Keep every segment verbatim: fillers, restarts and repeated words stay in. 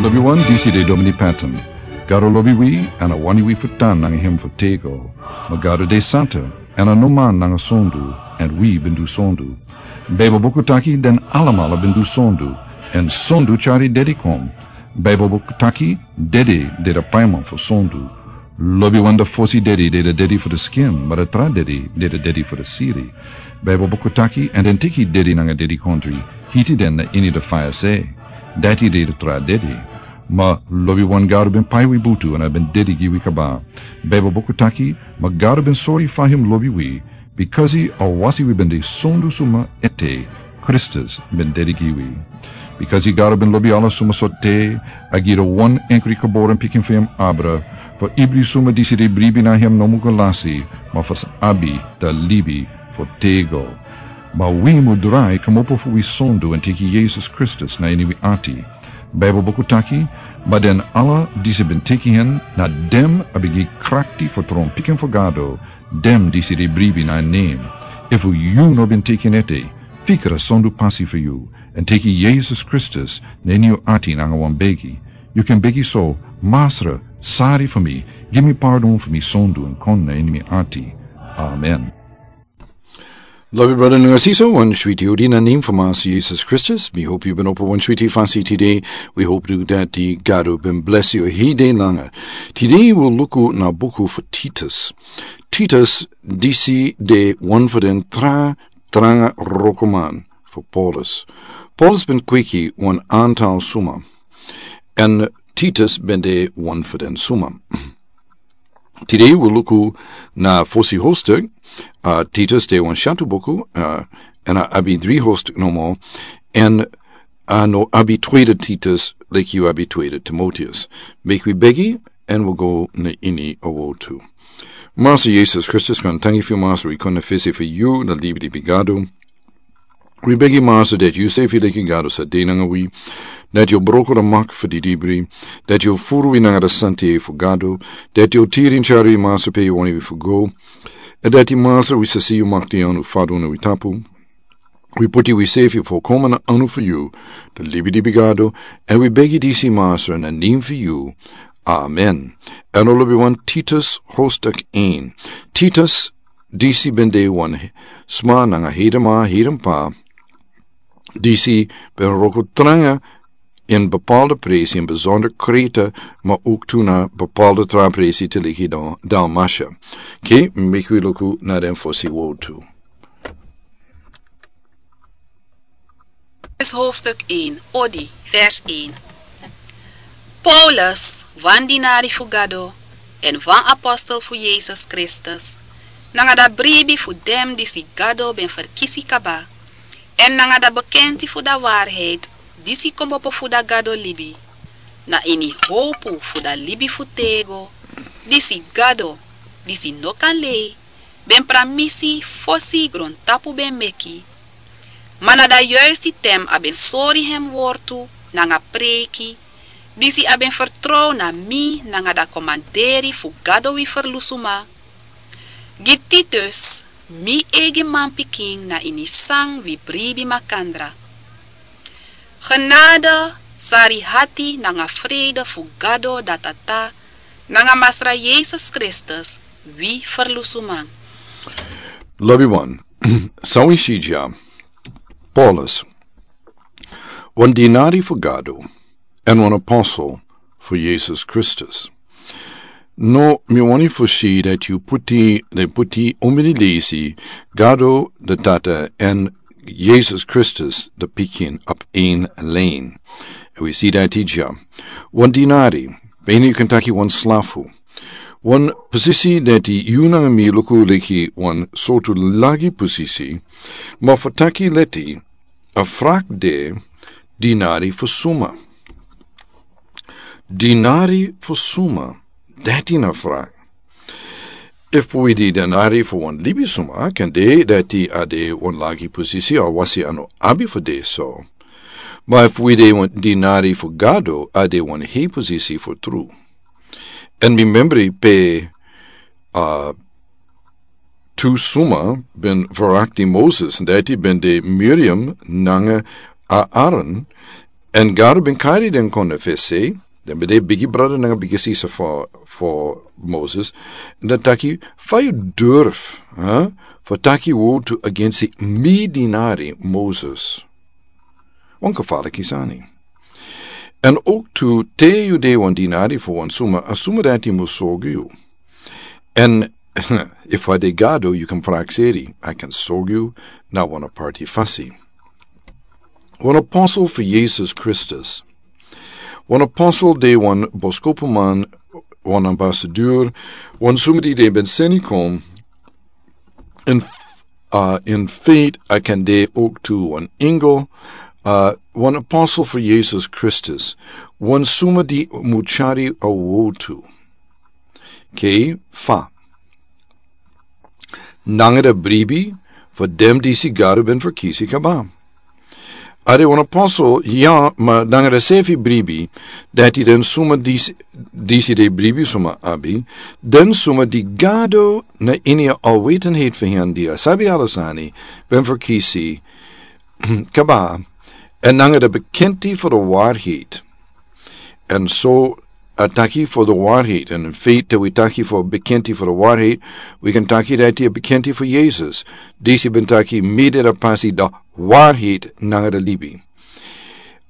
Lobiwan, disi de Domini Patton. Gado lobi wi, èn a wani wi fu tan nanga hem fu tego. Ma Gado de santa, èn a no man nanga sondu, èn wi ben du sondu. Baibel buku taki den alamala ben du sondu, èn sondu tyari dedi kon. Baibel buku taki dedi de a paiman fu sondu. Lobiwan, a fosi dedi de a dedi fu a skin, ma a tra dedi de a dedi fu a siri. Baibel buku taki, èn den teki dedi nanga dedikondri, hiti den na ini a faya se. Dati de a tra dedi. Ma lobiwan, Gado ben pai wi butu èn a ben dedi gi wi kaba. Baibel buku taki, ma Gado ben sori fa hem lobi wi, bikasi a wasi wi ben de sondu suma ete, Kristus ben dedi gi wi. Bikasi Gado ben lobi ala suma sortu, a gi a wan enkri geboren pikin fu hem abra, fu ibri suma disi de bribi na hem no mu go lasi, ma fu sa abi a libi fu tego. Ma wi mu drai kmopo fu wi sondu èn teki Yesus Kristus na ini wi ati. Baibel buku taki, ma den ala disi ben teki hen, na den a ben gi krakti fu tron pikin fu Gado, den disi de bribi na en nen. Efu yu no ben teki en ete, fika a sondu pasi fu yu, èn teki Yesus Kristus na ini yu ati nanga wan begi. Yu kan begi so: Masra, sori fu mi, gi mi pardon fu mi sondu èn kon na ini mi ati. Amen. Lobi brada nanga sisa, wan switi odi na nen fu Masra Yesus Kristus. Mi hopu yu ben opo wan switi fasi tide. Wi hopu tu dati Gado ben blesi yu hede nanga. Tide wi luku na buku fu Titus. Titus, disi de wan fu den tra tranga wrokoman fu Paulus. Paulus ben kweki wan antal suma, èn Titus ben de wan fu den suma. Tide wi luku na fosi hoofdstuk. Uh, Titus de wan syatu buku, uh, èn a abi dri hoofdstuk nomo, èn a no abi tweede Titus, leki yu abi tweede Timoteus. Meki wi begi, èn wi go na ini a woord tu. Masra Yesus Kristus, wi wani tangi fu yu, Masra, wi kon na fesi fu yu, na libi di bigado. Wi begi, Masra, dati yu sefi leki Gado sa de nanga wi, dati yu broko a mak fu didibri, dati yu furu wi nanga a santa fu Gado, dati yu tiri èn tyari wi, Masra, pe yu wani wi fu go, èn dati, Masra, wi sa si yu makti anu fadon na wi tapu. Wi puti wi sefi fu komen na anu fu yu, na libi di bigado, èn wi begi disi, Masra, na nen fu yu. Amen. Èn lobiwan, Titus hoofdstuk één. Titus, disi ben de wan sma nanga hedenma, hedenpa, disi ben wroko tranga ini bepaalde presi, ini besonder Kreta, ma ook tu na bepaalde tra presi te leki Dal-, Dalmatia. Oké, meki wi luku na den fosi woord tu. Titus hoofdstuk één, odi, vers één. Paulus, wan dinari fu Gado, èn wan apostel fu Yesus Kristus, nanga a bribi fu den disi Gado ben ferkisi kaba, èn nanga a bekenti fu a waarheid, disi kmopo fu a Gado libi, na ini howpu fu a libi fu tego, disi Gado, disi no kan lei, ben pramisi fosi grontapu ben meki. Ma na a yuisti ten a ben sori hem wortu nanga preiki, disi a ben fertrow na mi nanga a komanderi fu Gado wi Ferlusuma. Gi Titus, mi eigi manpikin na ini san wi bribi makandra. Genade, sari hati nanga vrede fu Gado a Tata nanga Masra Yesus Kristus, wi Ferlusuman. Lobiwan, san wi si dya, Paulus, wan dinari fu Gado, èn wan apostel fu Yesus Kristus. No, mi wani fu si dati yu puti, den puti omeni leisi, Gado a Tata èn Yesus Kristus a Pikin op één lijn. Èn wi si dati dya. Wan dinari, bijna yu kan taki wan slafu. Wan posisi dati yu nanga mi luku leki wan sortu lagi posisi, ma fu taki leti, a vraag de dinari fu suma. Dinari fu suma, dati na a vraag. Efu wi de dinari fu wan libisuma, kan de dati a de wan lagi posisi, a wasi a no abi fu de so. Ma efu wi de wan dinari fu Gado, a de wan hei posisi fu tru. Èn mi memri pe, a, tu suma ben verakti Moses, dati ben de Miriam nanga Aaron, Èn Gado ben kari den kon na fesi, den ben de bigi brada nanga bigi sisa fu, fu Moses, èn den taki, fa yu durf, hè, fu taki wowtu agensi mi dinari Moses. Wan kafala kisani. Èn ook tu te yu de wan dinari fu wan suma, a suma dati mus sorgu yu. Èn efu a de Gado, yu kan prakseri, a kan sorgu yu na wan aparti fasi. Wan apostel fu Jesus Kristus. Wan apostel de wan boskopuman, wan ambasador, wan suma di de ben seni kon, in, uh, in feit, a kan de ook tu wan engel, uh, wan apostel fu Jesus Kristus, wan suma di muchari a wowtu. Ke fa. Nanga da bribi, fu dem disi Gado ben ferkisi kaba. A de wan apostel, ya, ma nanga da sefi bribi, dati den suma disi, disi de bribi suma abi, den suma di Gado na ini a alwetenheid fu hen di a sabi ala sani, ben ferkisi kaba, èn nanga da bekenti fu da waarheid. Èn so a taki fu da waarheid, èn in feit te wi taki fu bekenti fu da waarheid, wi kan taki dati a bekenti fu Jesus. Disi ben taki mi de da pasi, da waarheid nanga da libi.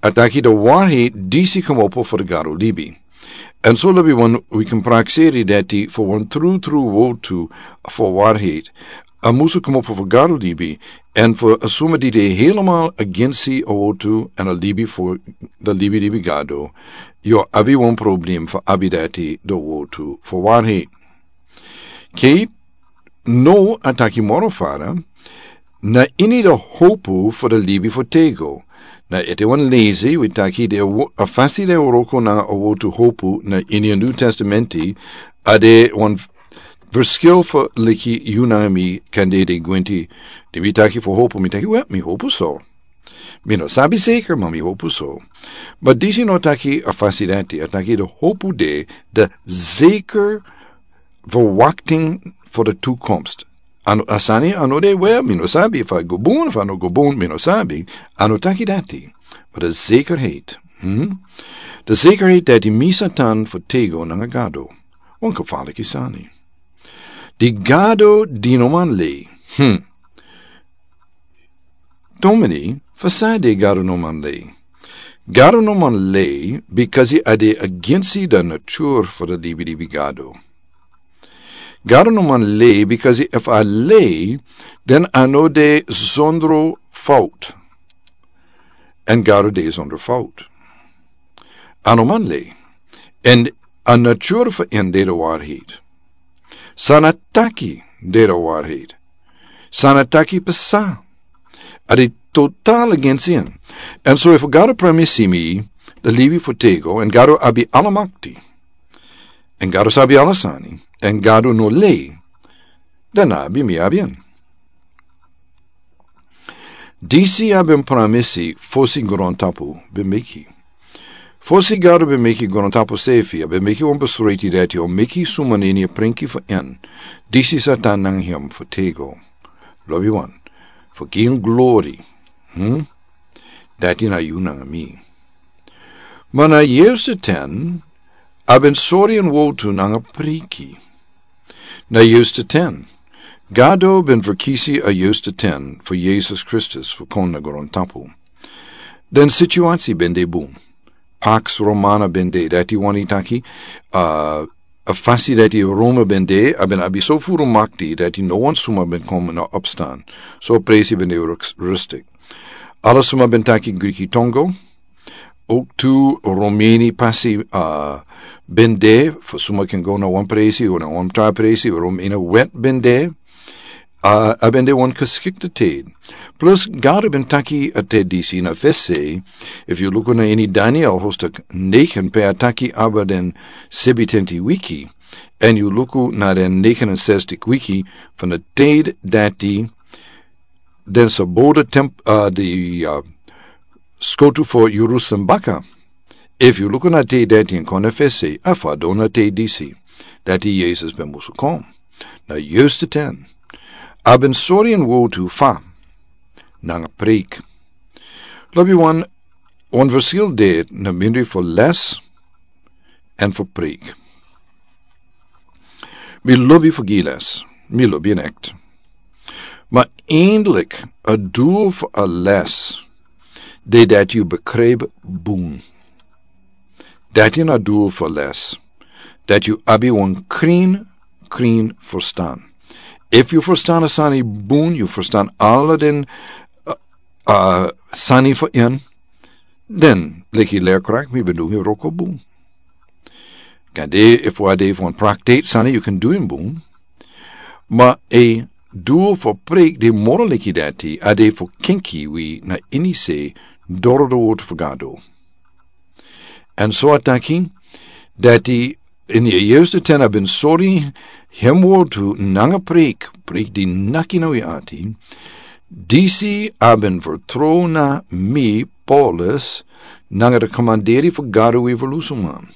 A taki da waarheid disi komopo fu da Gado libi. Èn so lobi wan wi kan prakseri dati fu wan tru tru wowtu fu waarheid. A musu komopo fu Gado libi, èn fu a suma di de helemaal agensi a wowtu èn a libi fu da libi libi Gado, yu o abi wan problem fu abi dati da wowtu fu waarheid. Ke no a taki moro fara, na ini da hopu fu da libi fu tego. Na ete wan lezi, wi taki de wo-, a fasi de wroko nanga a wowtu hopu na ini a New Testamenti, a de wan verskil fu leki yu nanga mi kan de de gwenti, di mi taki fu hopu, mi taki, wel, mi hopu so. Mi no sabi zeker, ma mi hopu so. Ma disi no taki a fasi dati, a taki da hopu de, da zeker verwachting fu da toekomst. A no, a sani a no de, wel, mi no sabi efu a go bun, efu a no go bun, mi no sabi. A no taki dati. Ma da zekerheid. Hmm? Da zekerheid dati mi sa tan fu tego nanga Gado. Wan kafala kisani. Di Gado di no man lei. Hmm. Domini, fa san de Gado no man lei? Gado no man lei, because a de agensi da nature fu da libi libi Gado. Gado no man lei, because efu a lei, den a no de zonder fout. Èn Gado de zonder fout. A no man lei. Èn a nature fu en de da waarheid. San a taki de da waarheid. San a taki pasa. A de total against en. Èn so efu Gado pramisi mi da libi fu tego, èn Gado abi ala makti. Èn Gado sabi ala sani. Èn Gado no lei. Dan a abi mi abi en. Disi a ben pramisi fosi grontapu ben meki. Fosi Gado ben meki grontapu sefi, a ben meki wan besluiti dati a o meki suma na ini a prenki fu en. Disi sa tan nanga hem fu tego. Lobi wan. Fu gi en glori. Hmm? Dati na yu nanga mi. Ma na years ten, a ben sori en wowtu nanga priki. Na years ten. Gado ben ferkisi a years ten fu Jesus Kristus fu kon na grontapu. Den situasi ben de bun. Pax Romana ben de, dati wani taki, uh, a fasi dati Roma ben de, a ben abi so furu makti, dati no wan suma ben kon na opstan. So presi ben de rus-, rustik. Ala suma ben taki Griki tongo, ook tu Romani pasi, uh, ben de, fu suma kan go na wan presi, of na wan tra presi, Romani wet ben de, uh, a ben de wan geschikte tijd. Plus, Gado ben taki a te disi na fesi, efu yu luku na ini Daniel hoofdstuk negen, pe a taki abra den sebitenti wiki, èn yu luku na den negenenzestig wiki, van de tijd dati den sa bou temp-, uh, di, uh, skotu fu Jerusalem baka. Efu yu luku na te dati en kon na fesi, a fadon na te disi, dati Jesus ben musu kon. Na years ten. A ben sori en wowtu fa. Nanga preek. Lobi wan, Wan verschil de na mindri fu les en fu preek. Mi lobi fu gi les, mi lobi en echt. Maar eindelijk, het doel fu a les, de dat yu bekrijp boen. Dat is na doel fu les. Dat yu abi wan krin, krin verstaan. If yu verstaan a sani boen, yu verstaan alle den, uh, uh, sani fu en, dan, leki leerkracht, mi ben du mi wroko boen. Kan de, if wan de fu wan praktijk sani, yu kan du en boen. Maar a doel fu preek de moro leki dati, a de fu kenki wi na ini se doro de woord fu Gado. En so a taki, dati in de eerste ten a ben sori, hem woord tu nanga preek, preek di naki na wi ati, disi a ben vertrouw na mi, Paulus, nanga de commanderi fu Gado wi verlusuman.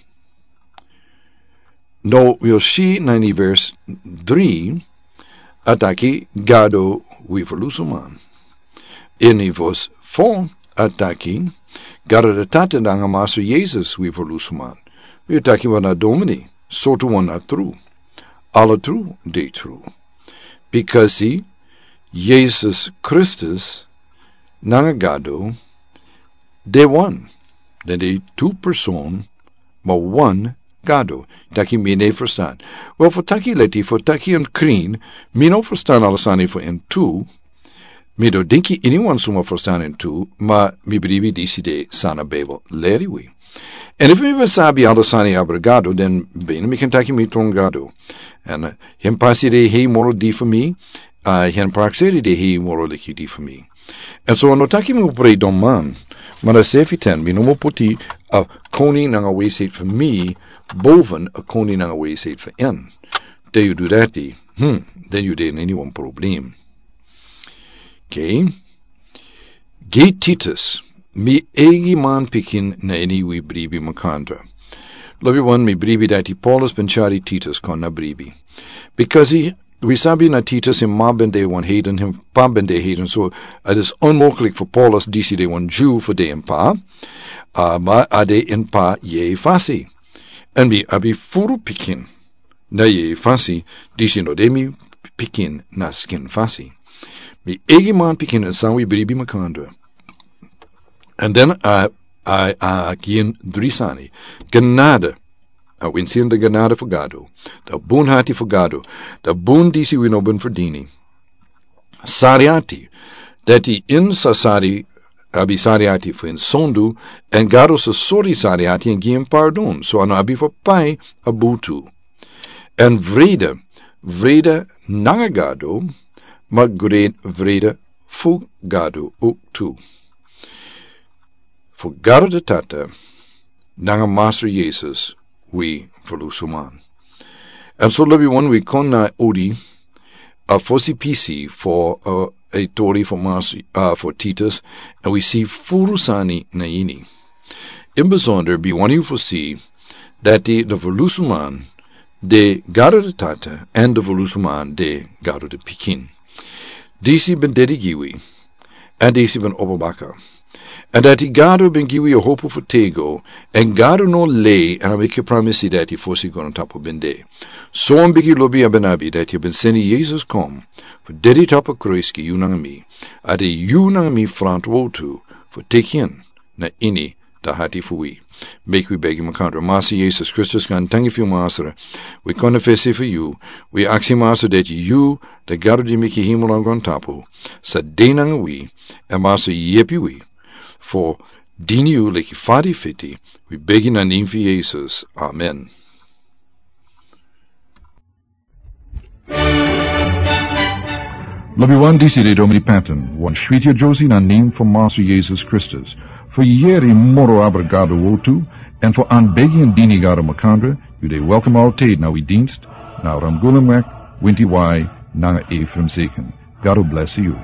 No, wi o si na ini vers drie, a taki Gado wi verlusuman. Ini vers four, a taki Gado de Tata nanga Master Jesus wi verlusuman. Wi o taki wan a domini, so tu wan a tru. Ala tru, de tru. Because he, Jesus Christus, nanga Gado, de wan. Den de tu person, maar wan Gado. Taki mi ne verstaan. Wel, fu taki leti, fu taki en krin, mi no verstaan ala sani fu en tu, mi no dinki anyone suma verstaan en tu, maar mi bribi disi de san a Bijbel leri wi. En if mi ben sabi ala sani abra Gado, dan ben mi kan taki mi tron Gado. En, eh, hem pasi de hei moro di fu mi, uh, hem prakseri de hei moro leki di fu mi. En so no taki mi upre don man, maar a sefi ten, mi no mo puti a koning nanga wijsheid fu mi, boven a koning nanga wijsheid fu en. Te yu du dati, hmm, dan yu de in wan probleem. Okay. Gi Titus, mi eigi man pikin na ini wi bribi makandra. Lobi wan mi bribi dati Paulus ben tyari Titus kon na bribi. Because he, wi sabi na Titus en ma ben de wan heiden, en pa ben de heiden. So, het is onmogelijk fu Paulus disi de wan Jew fu de en pa. Uh, maar a de en pa yeye fasi. En mi abi furu pikin na yeye fasi, disi no de mi pikin na skin fasi. Mi eigi man pikin en san wi bribi makandra. En dan a, a, a gi en dri sani. Genade. A winsi en de genade fu Gado. Da bun hati fu Gado. Da bun disi wi no ben verdini. Sari ati. Dati en sa sari, abi sari ati fu en sondu, en Gado sa sori sari ati en gi en pardon. So a no abi fu pai a butu. En vrede, vrede nanga Gado, maar great vrede fu Gado ook tu. Fu Gado de Tata, nanga Master Jesus, wi verlusuman. En so lobi wan wi kon na odi, a fosi pisi fu, uh, a tori fu Master, uh, fu Titus, en wi si furu sani na ini. In bijzonder, bi wani fu si, dati de verlusuman, de Gado de Tata, en de verlusuman, de Gado de Pikin. Disi ben dedi gi wi, en disi ben opo baka. En dati Gado ben gi wi a hopu fu tego, en Gado no lei, en a meki pramisi dati fosi grontapu ben de. So wan bigi lobi a ben abi, dati a ben seni Jesus kon, fu dedi tapu kruis gi yu nanga mi, a de yu nanga mi frantwotu, fu teki en, na ini, da hati fu wi. Meki wi begi makandra. Master Jesus Kristus, gan tangi fu yu Master. Wi kon na fesi fu yu. Wi aksi Master dati yu, da Gado di meki hemel nanga grontapu. Sa de nanga wi, en Master yepi wi. Fu dini yu leki fa di fiti. Wi begi na nen fu Jesus. Amen. Lobi wan, disi de Domini Patton, wan switi a Josie na nen fu Master Jesus Kristus. Fu yeri moro abra Gado wotu, en fu anbegi en dini Gado makandra, yu de welkom altijd na wi dienst, na Ramgulumweg, winti wai, nanga Ephraim Zeken. Gado bless you.